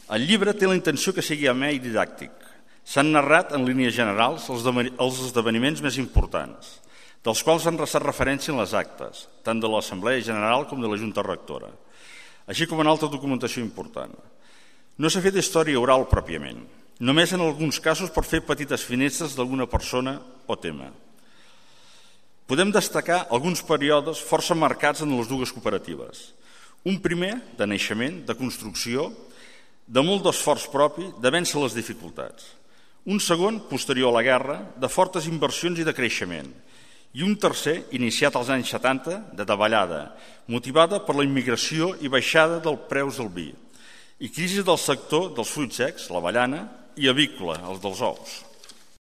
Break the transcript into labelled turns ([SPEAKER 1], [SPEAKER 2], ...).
[SPEAKER 1] El llibre té la intenció que sigui amè i didàctic. S'han narrat en línies generals els esdeveniments més importants, dels quals han restat referència en les actes, tant de l'Assemblea General com de la Junta Rectora, així com en altra documentació important. No s'ha fet història oral pròpiament, només en alguns casos per fer petites finestres d'alguna persona o tema. Podem destacar alguns períodes força marcats en les dues cooperatives. Un primer, de naixement, de construcció, de molt d'esforç propi, de vèncer les dificultats. Un segon, posterior a la guerra, de fortes inversions i de creixement. I un tercer, iniciat als anys 70, de davallada, motivada per la immigració i baixada dels preus del vi, i crisi del sector dels fruits secs, l'avellana, i avícola, els dels ous.